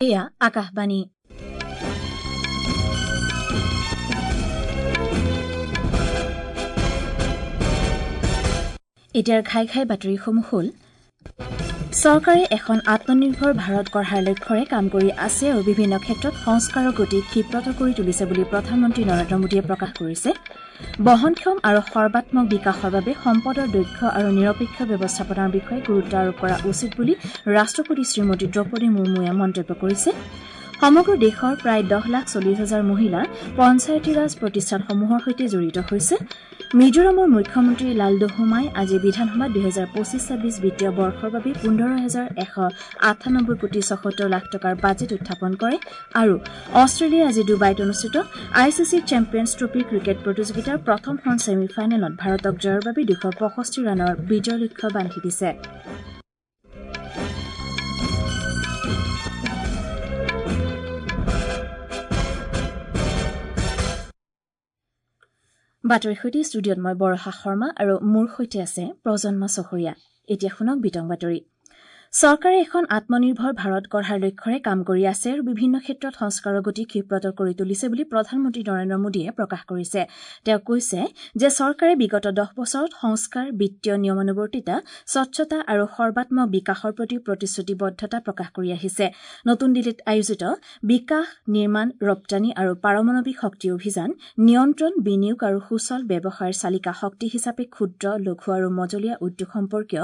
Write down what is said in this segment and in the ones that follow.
এয়া আকাশবাণী। এতিয়াৰ ঘাই ঘাই বাতৰিসমূহ হ'ল: চৰকাৰে এখন আত্মনিৰ্ভৰ ভাৰত গঢ়াৰ লক্ষ্যৰে কাম কৰি আছে আৰু বিভিন্ন ক্ষেত্ৰত সংস্কাৰৰ গতি ক্ষিপ্ৰতৰ কৰি তুলিছে বুলি প্ৰধানমন্ত্ৰী নৰেন্দ্ৰ মোদীয়ে প্ৰকাশ কৰিছে। বহনক্ষম আৰু সৰ্বাত্মক বিকাশৰ বাবে সম্পদৰ দক্ষ আৰু নিৰপেক্ষ ব্যৱস্থাপনাৰ বিষয়ে গুৰুত্ব আৰোপ কৰা উচিত বুলি ৰাষ্ট্ৰপতি শ্ৰীমতী দ্ৰৌপদী মুৰ্মুৱে মন্তব্য কৰিছে। সমগ্ৰ দেশৰ প্ৰায় 10,40,000 মহিলা পঞ্চায়তীৰাজ প্ৰতিষ্ঠানসমূহৰ সৈতে জড়িত হৈছে। মিজোৰামৰ মুখ্যমন্ত্ৰী লালডোহোমাই আজি বিধানসভাত 2025-26 বিত্তীয় বৰ্ষৰ বাবে 15,198 কোটি 76 লাখ টকাৰ বাজেট উত্থাপন কৰে। আৰু অষ্ট্ৰেলিয়াই আজি ডুবাইত অনুষ্ঠিত I C C champions trophy cricket প্ৰতিযোগিতাৰ প্ৰথমখন ছেমি ফাইনেলত ভাৰতক জয়ৰ বাবে 265 ৰানৰ বিজয় লক্ষ্য বান্ধি দিছে। বাতৰিৰ সৈতে ষ্টুডিঅ'ত মই বৰষা শৰ্মা আৰু মোৰ সৈতে আছে প্ৰজন্ম চহৰীয়া। এতিয়া শুনক বিতং বাতৰি। চৰকাৰে এখন আত্মনিৰ্ভৰ ভাৰত গঢ়াৰ লক্ষ্যৰে কাম কৰি আছে আৰু বিভিন্ন ক্ষেত্ৰত সংস্কাৰৰ গতি ক্ষিপ্ৰতৰ কৰি তুলিছে বুলি প্ৰধানমন্ত্ৰী নৰেন্দ্ৰ মোদীয়ে প্ৰকাশ কৰিছে। তেওঁ কৈছে যে চৰকাৰে বিগত 10 বছৰত সংস্কাৰ, বিত্তীয় নিয়মানুৱৰ্তিতা, স্বচ্ছতা আৰু সৰ্বাত্মক বিকাশৰ প্ৰতি প্ৰতিশ্ৰুতিবদ্ধতা প্ৰকাশ কৰি আহিছে। নতুন দিল্লীত আয়োজিত বিকাশ, নিৰ্মাণ, ৰপ্তানি আৰু পাৰমাণৱিক শক্তি অভিযান, নিয়ন্ত্ৰণ, বিনিয়োগ আৰু সুচল ব্যৱসায়ৰ চালিকা শক্তি হিচাপে ক্ষুদ্ৰ, লঘু আৰু মজলীয়া উদ্যোগ সম্পৰ্কীয়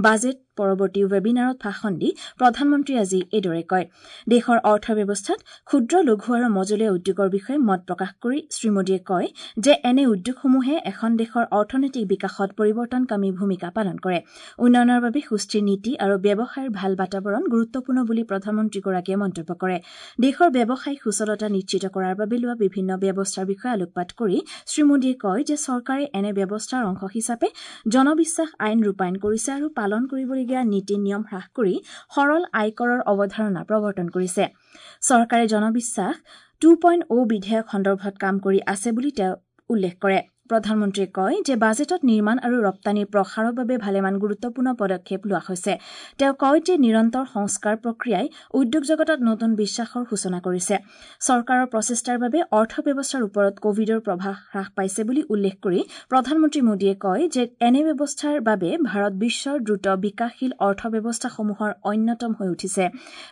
বাজেট পৰৱৰ্তী ৱেবিনাৰত ভাষণ দি প্ৰধানমন্ত্ৰীয়ে আজি এইদৰে কয়। দেশৰ অৰ্থব্যৱস্থাত ক্ষুদ্ৰ, লঘু আৰু মজলীয়া উদ্যোগৰ বিষয়ে মত প্ৰকাশ কৰি শ্ৰীমোদীয়ে কয় যে এনে উদ্যোগসমূহে এখন দেশৰ অৰ্থনৈতিক বিকাশত পৰিৱৰ্তনকামী ভূমিকা পালন কৰে। উন্নয়নৰ বাবে সুস্থিৰ নীতি আৰু ব্যৱসায়ৰ ভাল বাতাবৰণ গুৰুত্বপূৰ্ণ বুলি প্ৰধানমন্ত্ৰীগৰাকীয়ে মন্তব্য কৰে। দেশৰ ব্যৱসায়িক সুচলতা নিশ্চিত কৰাৰ বাবে লোৱা বিভিন্ন ব্যৱস্থাৰ বিষয়ে আলোকপাত কৰি শ্ৰীমোদীয়ে কয় যে চৰকাৰে এনে ব্যৱস্থাৰ অংশ হিচাপে জনবিশ্বাস আইন ৰূপায়ণ কৰিছে আৰু পালন কৰিবলগীয়া নীতি নিয়ম হ্ৰাস কৰি সৰল আয়কৰৰ অৱধাৰণা প্ৰৱৰ্তন কৰিছে। চৰকাৰে জনবিশ্বাস 2.0 বিধেয়ক সন্দৰ্ভত কাম কৰি আছে বুলি তেওঁ উল্লেখ কৰে। প্ৰধানমন্ত্ৰীয়ে কয় যে বাজেটত নিৰ্মাণ আৰু ৰপ্তানিৰ প্ৰসাৰৰ বাবে ভালেমান গুৰুত্বপূৰ্ণ পদক্ষেপ লোৱা হৈছে। তেওঁ কয় যে নিৰন্তৰ সংস্কাৰ প্ৰক্ৰিয়াই উদ্যোগ জগতত নতুন বিশ্বাসৰ সূচনা কৰিছে। চৰকাৰৰ প্ৰচেষ্টাৰ বাবে অৰ্থব্যৱস্থাৰ ওপৰত কভিডৰ প্ৰভাৱ হ্ৰাস পাইছে বুলি উল্লেখ কৰি প্ৰধানমন্ত্ৰী মোদীয়ে কয় যে এনে ব্যৱস্থাৰ বাবে ভাৰত বিশ্বৰ দ্ৰুত বিকাশশীল অৰ্থব্যৱস্থাসমূহৰ অন্যতম হৈ উঠিছে।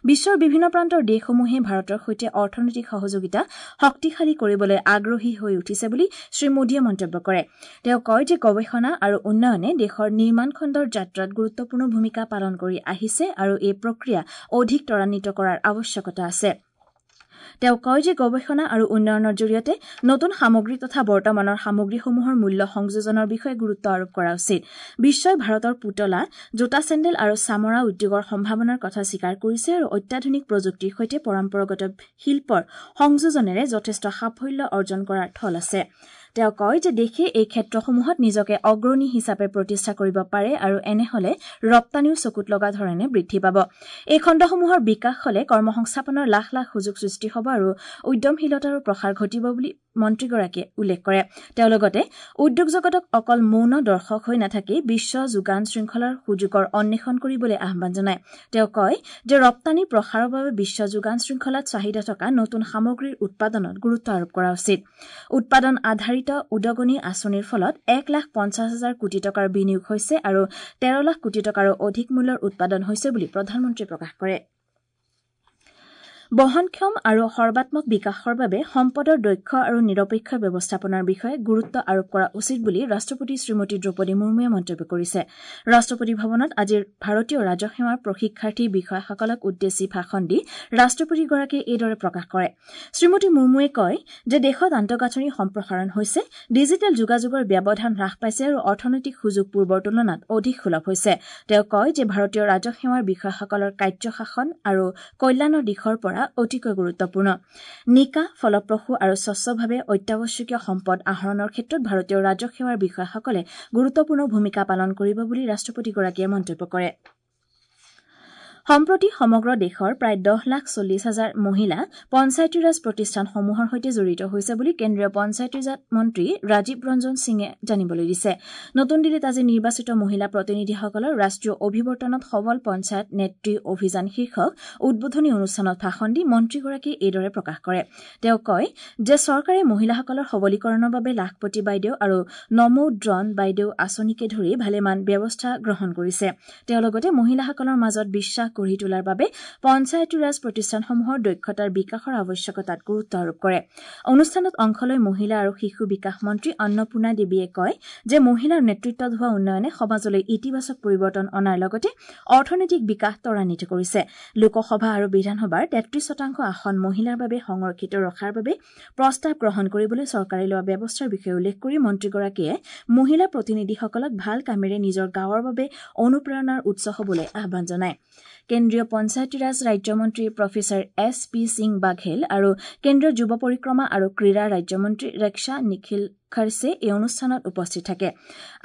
বিশ্বৰ বিভিন্ন প্ৰান্তৰ দেশসমূহে ভাৰতৰ সৈতে অৰ্থনৈতিক সহযোগিতা শক্তিশালী কৰিবলৈ আগ্ৰহী হৈ উঠিছে বুলি শ্ৰীমোদীয়ে মন্তব্য কৰে। তেওঁ কয় যে গৱেষণা আৰু উন্নয়নে দেশৰ নিৰ্মাণ খণ্ডৰ যাত্ৰাত গুৰুত্বপূৰ্ণ ভূমিকা পালন কৰি আহিছে আৰু এই প্ৰক্ৰিয়া অধিক ত্বৰান্বিত কৰাৰ আৱশ্যকতা আছে। তেওঁ কয় যে গৱেষণা আৰু উন্নয়নৰ জৰিয়তে নতুন সামগ্ৰী তথা বৰ্তমানৰ সামগ্ৰীসমূহৰ মূল্য সংযোজনৰ বিষয়ে গুৰুত্ব আৰোপ কৰা উচিত। বিশ্বই ভাৰতৰ পুতলা, জোতা, চেণ্ডেল আৰু চামৰা উদ্যোগৰ সম্ভাৱনাৰ কথা স্বীকাৰ কৰিছে আৰু অত্যাধুনিক প্ৰযুক্তিৰ সৈতে পৰম্পৰাগত শিল্পৰ সংযোজনেৰে যথেষ্ট সাফল্য অৰ্জন কৰাৰ থল আছে। তেওঁ কয় যে দেশে এই ক্ষেত্ৰসমূহত নিজকে অগ্ৰণী হিচাপে প্ৰতিষ্ঠা কৰিব পাৰে আৰু এনে হলে ৰপ্তানিও চকুত লগা ধৰণে বৃদ্ধি পাব। এই খণ্ডসমূহৰ বিকাশ হলে কৰ্মসংস্থাপনৰ লাখ লাখ সুযোগ সৃষ্টি হ'ব আৰু উদ্যমশীলতাৰো প্ৰসাৰ ঘটিব বুলি মন্ত্ৰীগৰাকীয়ে উল্লেখ কৰে। তেওঁ লগতে উদ্যোগ জগতক অকল মৌন দৰ্শক হৈ নাথাকি বিশ্ব যোগান শৃংখলাৰ সুযোগৰ অন্বেষণ কৰিবলৈ আহ্বান জনায়। তেওঁ কয় যে ৰপ্তানি প্ৰসাৰৰ বাবে বিশ্ব যোগান শৃংখলাত চাহিদা থকা নতুন সামগ্ৰীৰ উৎপাদনত গুৰুত্ব আৰোপ কৰা উচিত। উৎপাদন আধাৰিত উদগনি আঁচনিৰ ফলত 1,50,000 কোটি টকাৰ বিনিয়োগ হৈছে আৰু 13 লাখ কোটি টকাৰো অধিক মূল্যৰ উৎপাদন হৈছে বুলি প্ৰধানমন্ত্ৰীয়ে প্ৰকাশ কৰে। বহনক্ষম আৰু সৰ্বাত্মক বিকাশৰ বাবে সম্পদৰ দক্ষ আৰু নিৰপেক্ষ ব্যৱস্থাপনাৰ বিষয়ে গুৰুত্ব আৰোপ কৰা উচিত বুলি ৰাষ্ট্ৰপতি শ্ৰীমতী দ্ৰৌপদী মুৰ্মুৱে মন্তব্য কৰিছে। ৰাষ্ট্ৰপতি ভৱনত আজি ভাৰতীয় ৰাজহ সেৱাৰ প্ৰশিক্ষাৰ্থী বিষয়াসকলক উদ্দেশ্যি ভাষণ দি ৰাষ্ট্ৰপতিগৰাকীয়ে এইদৰে প্ৰকাশ কৰে। শ্ৰীমতী মুৰ্মুৱে কয় যে দেশত আন্তঃগাঁথনি সম্প্ৰসাৰণ হৈছে, ডিজিটেল যোগাযোগৰ ব্যৱধান হ্ৰাস পাইছে আৰু অৰ্থনৈতিক সুযোগ পূৰ্বৰ তুলনাত অধিক সুলভ হৈছে। তেওঁ কয় যে ভাৰতীয় ৰাজহ সেৱাৰ বিষয়াসকলৰ কাৰ্যশাসন আৰু কল্যাণৰ দিশৰ পৰা অতিকৈ গুৰুত্বপূৰ্ণ। নিকা, ফলপ্ৰসূ আৰু স্বচ্ছভাৱে অত্যাৱশ্যকীয় সম্পদ আহৰণৰ ক্ষেত্ৰত ভাৰতীয় ৰাজহ সেৱাৰ বিষয়াসকলে গুৰুত্বপূৰ্ণ ভূমিকা পালন কৰিব বুলি ৰাষ্ট্ৰপতিগৰাকীয়ে মন্তব্য কৰে। সম্প্ৰতি সমগ্ৰ দেশৰ প্ৰায় 10,40,000 মহিলা পঞ্চায়তীৰাজ প্ৰতিষ্ঠানসমূহৰ সৈতে জড়িত হৈছে বুলি কেন্দ্ৰীয় পঞ্চায়তীৰাজ মন্ত্ৰী ৰাজীৱ ৰঞ্জন সিঙে জানিবলৈ দিছে। নতুন দিল্লীত আজি নিৰ্বাচিত মহিলা প্ৰতিনিধিসকলৰ ৰাষ্ট্ৰীয় অভিৱৰ্তনত সবল পঞ্চায়ত নেত্ৰী অভিযান শীৰ্ষক উদ্বোধনী অনুষ্ঠানত ভাষণ দি মন্ত্ৰীগৰাকীয়ে এইদৰে প্ৰকাশ কৰে। তেওঁ কয় যে চৰকাৰে মহিলাসকলৰ সবলীকৰণৰ বাবে লাখপতি বাইদেউ আৰু নমো ড্ৰন বাইদেউ আঁচনিকে ধৰি ভালেমান ব্যৱস্থা গ্ৰহণ কৰিছে। তেওঁ লগতে মহিলাসকলৰ মাজত বিশ্বাস গঢ়ি তোলাৰ বাবে পঞ্চায়তীৰাজ প্ৰতিষ্ঠানসমূহৰ দক্ষতাৰ বিকাশৰ আৱশ্যকতাত গুৰুত্ব আৰোপ কৰে। অনুষ্ঠানত অংশ লৈ মহিলা আৰু শিশু বিকাশ মন্ত্ৰী অন্নপূৰ্ণা দেৱীয়ে কয় যে মহিলাৰ নেতৃত্বত হোৱা উন্নয়নে সমাজলৈ ইতিবাচক পৰিৱৰ্তন অনাৰ লগতে অৰ্থনৈতিক বিকাশ ত্বৰান্বিত কৰিছে। লোকসভা আৰু বিধানসভাৰ 33% আসন মহিলাৰ বাবে সংৰক্ষিত ৰখাৰ বাবে প্ৰস্তাৱ গ্ৰহণ কৰিবলৈ চৰকাৰে লোৱা ব্যৱস্থাৰ বিষয়ে উল্লেখ কৰি মন্ত্ৰীগৰাকীয়ে মহিলা প্ৰতিনিধিসকলক ভাল কামেৰে নিজৰ গাঁৱৰ বাবে অনুপ্ৰেৰণাৰ উৎস হ'বলৈ আহ্বান জনায়। কেন্দ্ৰীয় পঞ্চায়তীৰাজ ৰাজ্যমন্ত্ৰী professor S P Singh Baghel আৰু কেন্দ্ৰীয় যুৱ পৰিক্ৰমা আৰু ক্ৰীড়া ৰাজ্যমন্ত্ৰী ৰেক্ষা নিখিল খৰ্ছে এই অনুষ্ঠানত উপস্থিত থাকে।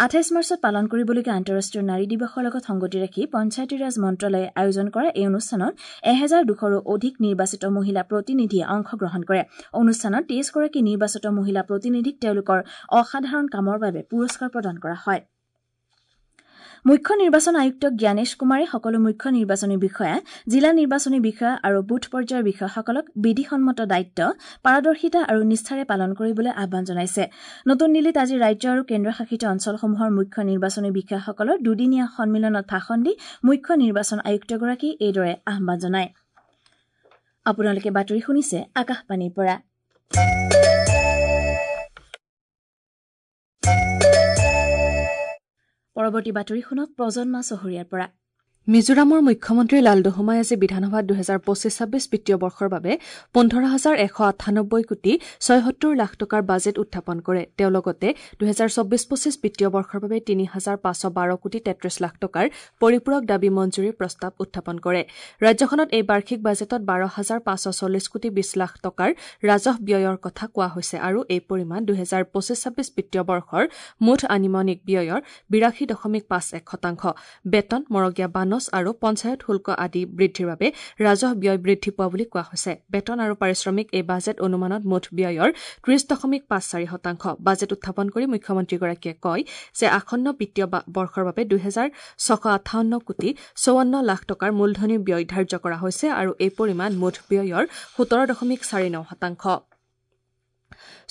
28 মাৰ্চত পালন কৰিবলগীয়া আন্তঃৰাষ্ট্ৰীয় নাৰী দিৱসৰ লগত সংগতি ৰাখি পঞ্চায়তীৰাজ মন্ত্ৰালয়ে আয়োজন কৰা এই অনুষ্ঠানত 1200ৰো অধিক নিৰ্বাচিত মহিলা প্ৰতিনিধিয়ে অংশগ্ৰহণ কৰে। অনুষ্ঠানত 23গৰাকী নিৰ্বাচিত মহিলা প্ৰতিনিধিক তেওঁলোকৰ অসাধাৰণ কামৰ বাবে পুৰস্কাৰ প্ৰদান কৰা হয়। মুখ্য নিৰ্বাচন আয়ুক্ত জ্ঞানেশ কুমাৰে সকলো মুখ্য নিৰ্বাচনী বিষয়া, জিলা নিৰ্বাচনী বিষয়া আৰু বুথ পৰ্যায়ৰ বিষয়াসকলক বিধিসন্মত দায়িত্ব, পাৰদৰ্শিতা আৰু নিষ্ঠাৰে পালন কৰিবলৈ আহ্বান জনাইছে। নতুন দিল্লীত আজি ৰাজ্য আৰু কেন্দ্ৰীয়শাসিত অঞ্চলসমূহৰ মুখ্য নিৰ্বাচনী বিষয়াসকলৰ দুদিনীয়া সন্মিলনত ভাষণ দি মুখ্য নিৰ্বাচন আয়ুক্তগৰাকীয়ে এইদৰে আহ্বান জনায়। আপোনালোকে বাতৰি শুনিছে আকাশবাণীৰ পৰা। পৰৱৰ্তী বাতৰি শুনক প্ৰজন্মা চহৰীয়াৰ পৰা। মিজোৰামৰ মুখ্যমন্ত্ৰী লালডোহোমাই আজি বিধানসভাত 2025-26 বিত্তীয় বৰ্ষৰ বাবে 15,198 কোটি 76 লাখ টকাৰ বাজেট উত্থাপন কৰে। তেওঁ লগতে 2024-25 বিত্তীয় বৰ্ষৰ বাবে 3,512 কোটি 33 লাখ টকাৰ পৰিপূৰক দাবী মঞ্জুৰীৰ প্ৰস্তাৱ উত্থাপন কৰে। ৰাজ্যখনত এই বাৰ্ষিক বাজেটত 12,540 কোটি 20 লাখ টকাৰ ৰাজহ ব্যয়ৰ কথা কোৱা হৈছে আৰু এই পৰিমাণ 2025-26 বিত্তীয় বৰ্ষৰ মুঠ আনুমানিক ব্যয়ৰ 82.51%। বেতন, মৰগীয়া বানচ আৰু পঞ্চায়ত শুল্ক আদি বৃদ্ধিৰ বাবে ৰাজহ ব্যয় বৃদ্ধি পোৱা বুলি কোৱা হৈছে। বেতন আৰু পাৰিশ্ৰমিক এই বাজেট অনুমানত মুঠ ব্যয়ৰ 30.54%। বাজেট উত্থাপন কৰি মুখ্যমন্ত্ৰীগৰাকীয়ে কয় যে আসন্ন বিত্তীয় বৰ্ষৰ বাবে 2,658 কোটি 54 লাখ টকাৰ মূলধনী ব্যয় ধাৰ্য কৰা হৈছে আৰু এই পৰিমাণ মুঠ ব্যয়ৰ 17.49%।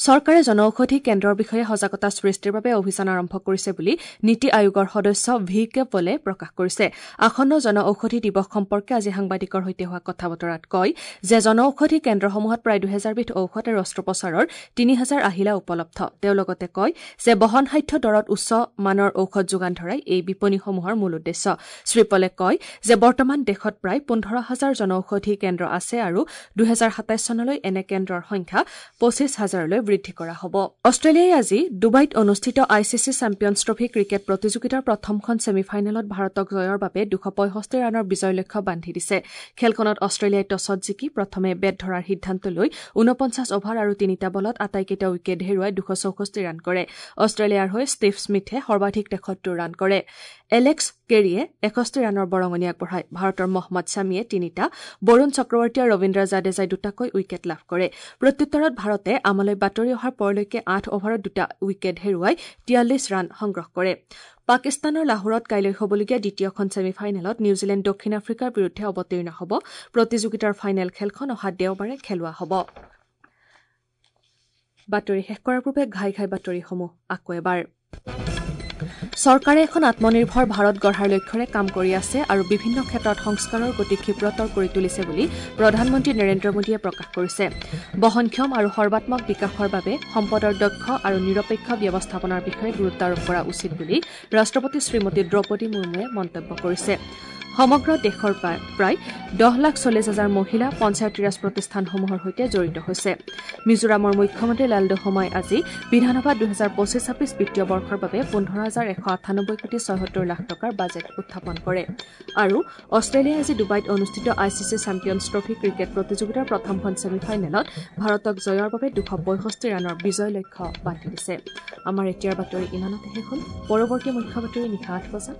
চৰকাৰে জনঔষধি কেন্দ্ৰৰ বিষয়ে সজাগতা সৃষ্টিৰ বাবে অভিযান আৰম্ভ কৰিছে বুলি নীতি আয়োগৰ সদস্য ভি কে পলে প্ৰকাশ কৰিছে। আসন্ন জনঔষধি দিৱস সম্পৰ্কে আজি সাংবাদিকৰ সৈতে হোৱা কথা বতৰাত কয় যে জনঔষধি কেন্দ্ৰসমূহত প্ৰায় 2000 বিধ ঔষধ আৰু অস্ত্ৰোপচাৰৰ 3000 আহিলা উপলব্ধ। তেওঁ লগতে কয় যে বহনসাধ্য দৰত উচ্চ মানৰ ঔষধ যোগান ধৰাই এই বিপণীসমূহৰ মূল উদ্দেশ্য। শ্ৰীপলে কয় যে বৰ্তমান দেশত প্ৰায় 15,000 জনঔষধি কেন্দ্ৰ আছে আৰু 2027 চনলৈ এনে কেন্দ্ৰৰ সংখ্যা 25,000লৈ বৃদ্ধি কৰা হ'ব। অষ্ট্ৰেলিয়াই আজি ডুবাইত অনুষ্ঠিত I C C champions trophy cricket প্ৰতিযোগিতাৰ প্ৰথমখন ছেমিফাইনেলত ভাৰতক জয়ৰ বাবে 265 ৰানৰ বিজয় লক্ষ্য বান্ধি দিছে। খেলখনত অষ্ট্ৰেলিয়াই টছত জিকি প্ৰথমে বেট ধৰাৰ সিদ্ধান্ত লৈ 49 অভাৰ আৰু 3টা বলত আটাইকেইটা উইকেট হেৰুৱাই 264 ৰান কৰে। অষ্ট্ৰেলিয়াৰ হৈ ষ্টিভ স্মিথে সৰ্বাধিক 73 ৰান কৰে। এলেক্স কেৰিয়ে 61 ৰানৰ বৰঙণি আগবঢ়ায়। ভাৰতৰ মহম্মদ ছামীয়ে 3টা, বৰুণ চক্ৰৱৰ্তী আৰু ৰবীন্দ্ৰ জাদেজাই 2টাকৈ উইকেট লাভ কৰে। প্ৰত্যুত্তৰত ভাৰতে আমালৈ বাতৰি অহাৰ পৰলৈকে 8 অভাৰত 2টা উইকেট হেৰুৱাই 43 ৰান সংগ্ৰহ কৰে। পাকিস্তানৰ লাহোৰত কাইলৈ হ'বলগীয়া দ্বিতীয়খন ছেমিফাইনেলত নিউজিলেণ্ড দক্ষিণ আফ্ৰিকাৰ বিৰুদ্ধে অৱতীৰ্ণ হ'ব। প্ৰতিযোগিতাৰ ফাইনেল খেলখন অহা দেওবাৰে খেলোৱা হ'ব। বাতৰি শেষ কৰাৰ পূৰ্বে ঘাই ঘাই বাতৰিসমূহ আকৌ এবাৰ। চৰকাৰে এখন আত্মনিৰ্ভৰ ভাৰত গঢ়াৰ লক্ষ্যৰে কাম কৰি আছে আৰু বিভিন্ন ক্ষেত্ৰত সংস্কাৰৰ গতি ক্ষিপ্ৰতৰ কৰি তুলিছে বুলি প্ৰধানমন্ত্ৰী নৰেন্দ্ৰ মোদীয়ে প্ৰকাশ কৰিছে। বহনক্ষম আৰু সৰ্বাত্মক বিকাশৰ বাবে সম্পদৰ দক্ষ আৰু নিৰপেক্ষ ব্যৱস্থাপনাৰ বিষয়ে গুৰুত্ব আৰোপ কৰা উচিত বুলি ৰাষ্ট্ৰপতি শ্ৰীমতী দ্ৰৌপদী মুৰ্মুৱে মন্তব্য কৰিছে। সমগ্ৰ দেশৰ প্ৰায় 10,40,000 মহিলা পঞ্চায়তীৰাজ প্ৰতিষ্ঠানসমূহৰ সৈতে জড়িত হৈছে। মিজোৰামৰ মুখ্যমন্ত্ৰী লালডোহোমাই আজি বিধানসভাত 2025-26 বিত্তীয় বৰ্ষৰ বাবে 15,198 কোটি 76 লাখ টকাৰ বাজেট উত্থাপন কৰে। আৰু অষ্ট্ৰেলিয়াই আজি ডুবাইত অনুষ্ঠিত I C C champions trophy cricket প্ৰতিযোগিতাৰ প্ৰথমখন ছেমিফাইনেলত ভাৰতক জয়ৰ বাবে 265 ৰানৰ বিজয় লক্ষ্য বান্ধি দিছে। আমাৰ এতিয়াৰ বাতৰি ইমানতে শেষ হ'ল। পৰৱৰ্তী মুখ্য বাতৰি নিশা 8 বজাত।